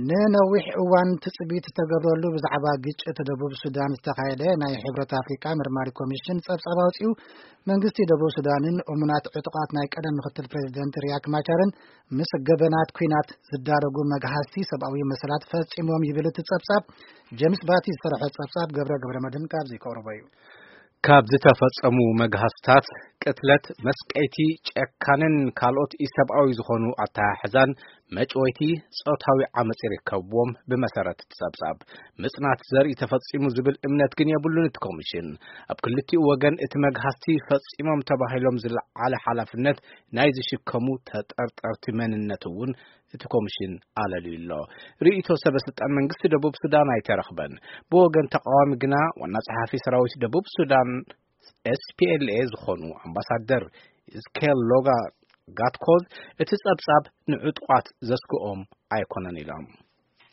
ንነዊሕ እዋን ትጽቢት ዝተገብረሉ ብዛዕባ ግጭት ደቡብ ሱዳን ዝተኻየደ ናይ ሕብረት ኣፍሪቃ መርማሪ ኮሚሽን ጸብጻብ ኣውጺኡ፣ መንግስቲ ደቡብ ሱዳንን እሙናት ዕጡቓት ናይ ቀደም ምክትል ፕሬዚደንት ሪያክ ማቻርን ምስ ገበናት ኲናት ዝዳረጉ መግሃስቲ ሰብኣዊ መሰላት ፈጺሞም ይብል እቲ ጸብጻብ። ጀምስ ባቲ ዝሰርሖ ጸብጻብ ገብረ ገብረ መድህን ካብዚ ከቕርቦ እዩ። ካብ ዝተፈጸሙ መግሃስታት ቅትለት፣ መስቀይቲ፣ ጨካንን ካልኦት ኢሰብኣዊ ዝኾኑ ኣተሓሕዛን መጭወይቲ ጾታዊ ዓመጽ ይርከብዎም። ብመሰረት እቲ ጸብጻብ፣ ምጽናት ዘርኢ ተፈጺሙ ዝብል እምነት ግን የብሉን እቲ ኮሚሽን። ኣብ ክልቲኡ ወገን እቲ መግሃስቲ ፈጺሞም ተባሂሎም ዝለዓለ ሓላፍነት ናይ ዝሽከሙ ተጠርጠርቲ መንነት እውን እቲ ኮሚሽን ኣለልዩ ኣሎ። ርእይቶ ሰበ ስልጣን መንግስቲ ደቡብ ሱዳን ኣይተረኽበን። ብወገን ተቃዋሚ ግና ዋና ጸሓፊ ሰራዊት ደቡብ ሱዳን ኤስፒኤልኤ ዝኾኑ ኣምባሳደር ስኬል ሎጋ ጋትኮዝ፣ እቲ ጸብጻብ ንዕጡቓት ዘስግኦም ኣይኮነን ኢሎም።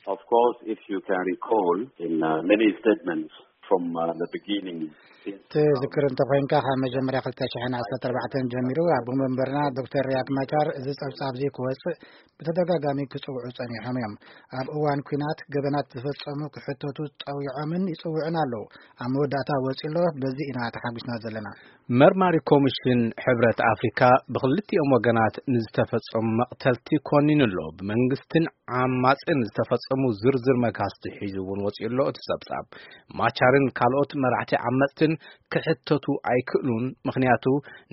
Of course, if you can recall, in uh, many statements from uh, the beginning, since ትዝክር እንተኾይንካ፣ ካብ መጀመርያ ክልተ ሽሕን ዓሰርተ ኣርባዕተን ጀሚሩ ኣቦ መንበርና ዶክተር ሪያክ ማቻር እዚ ጸብጻብ እዚ ክወጽእ ብተደጋጋሚ ክጽውዑ ጸኒሖም እዮም። ኣብ እዋን ኲናት ገበናት ዝፈጸሙ ክሕተቱ ጸዊዖምን ይጽውዑን ኣለዉ። ኣብ መወዳእታ ወጺኡ ኣሎ። በዚ ኢና ተሓጒስና ዘለና። መርማሪ ኮሚሽን ሕብረት ኣፍሪካ ብክልቲኦም ወገናት ንዝተፈጸሙ መቕተልቲ ኮኒኑ ኣሎ። ብመንግስትን ዓማጽን ዝተፈጸሙ ዝርዝር መግሃስቲ ሒዙ እውን ወጺኡ ኣሎ። እቲ ጸብጻብ፣ ማቻርን ካልኦት መራሕቲ ዓመጽትን ክሕተቱ ኣይክእሉን፣ ምኽንያቱ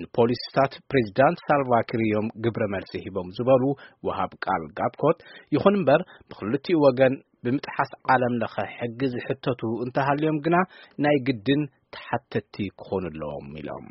ንፖሊሲታት ፕሬዚዳንት ሳልቫኪር እዮም ግብረ መልሲ ሂቦም ዝበሉ ወሃብ ቃል ጋትኮት፣ ይኹን እምበር ብክልቲኡ ወገን ብምጥሓስ ዓለም ለኸ ሕጊ ዝሕተቱ እንተሃልዮም ግና ናይ ግድን ተሓተቲ ክኾኑ ኣለዎም ኢሎም።